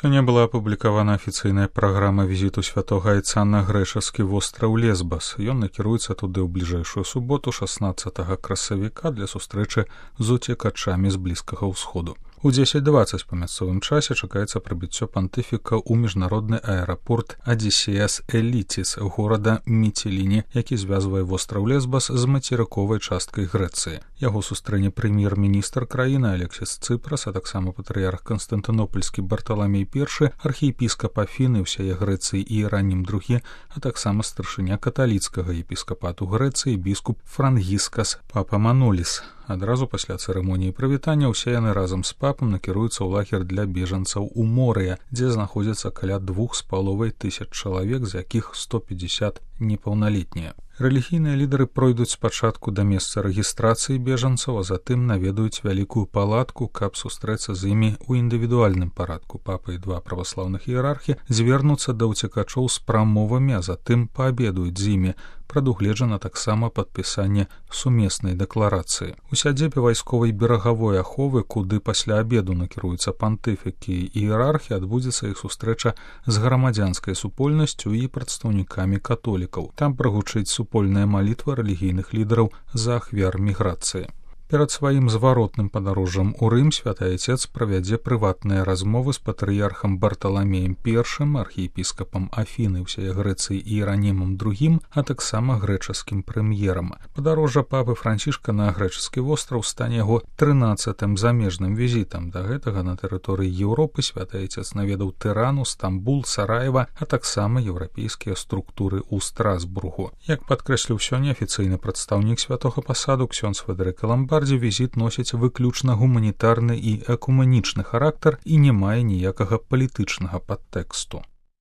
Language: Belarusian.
Сёння была апублікавана афіцыйная праграма візіту святога айца на грэчаскі востраў Лесбас. Ён накіруецца туды ў бліжэйшую суботу 16 красавіка для сустрэчы з уцекачамі з Блізкага ўсходу. У 10:20 па мясцовым часе чакаецца прыбыццё пантыфіка ў міжнародны аэрапорт Адзісеас Эліціс горада Міціліні, які звязвае востраў Лесбас з мацерыковай часткай Грэцыі. Яго сустрэне прэм'ер-міністр краіны Алексіс Цыпрас, а таксама патрыярх Канстантынопольскі Барталамей I, архіепіскап Афіны ўсяе Грэцыі і Іеранім II, а таксама старшыня каталіцкага епіскапату Грэцыі біскуп Франгіскас Папамануліс. Адразу пасля цырымоніі прывітання ўсе яны разам з папам накіруюцца ў лагер для бежанцаў у Морыя, дзе знаходзіцца каля 2500 чалавек, з якіх 150 непаўналетнія. Рэлігійныя лідары пройдуць спачатку да месца рэгістрацыі бежанцаў, а затым наведаюць вялікую палатку, каб сустрэцца з імі ў індывідуальным парадку. Папа і два праваслаўных іерархі звернуцца да ўцекачоў з прамовамі, а затым паабедуюць з імі. Прадугледжана таксама падпісанне сумеснай дэкларацыі. У сядзебе вайсковай берагавой аховы, куды пасля абеду накіруюцца пантыфікі і іерархі, адбудзецца іх сустрэча з грамадзянскай супольнасцю і прадстаўнікамі католікаў. Там прагучыць супольная малітва рэлігійных лідараў за ахвяр міграцыі. Перад сваім зваротным падарожжам у Рым святы айцец правядзе прыватныя размовы з патрыярхам Барталамеем I, архіепіскапам Афіны ўсяе Грэцыі і Іеранімам II, а таксама грэчаскім прэм'ерам. Падарожжа папы Францішка на грэчаскі востраў стане яго 13-м замежным візітам. Да гэтага на тэрыторыі Еўропы святы айцец наведаў Тырану, Стамбул, Сараева, а таксама еўрапейскія структуры ў Страсбургу. Як падкрэсліў сёння афіцыйны прадстаўнік святога пасаду ксёндз Фэдэрыка Ламбардзі, візіт носіць выключна гуманітарны і экуменічны характар і не мае ніякага палітычнага падтэксту.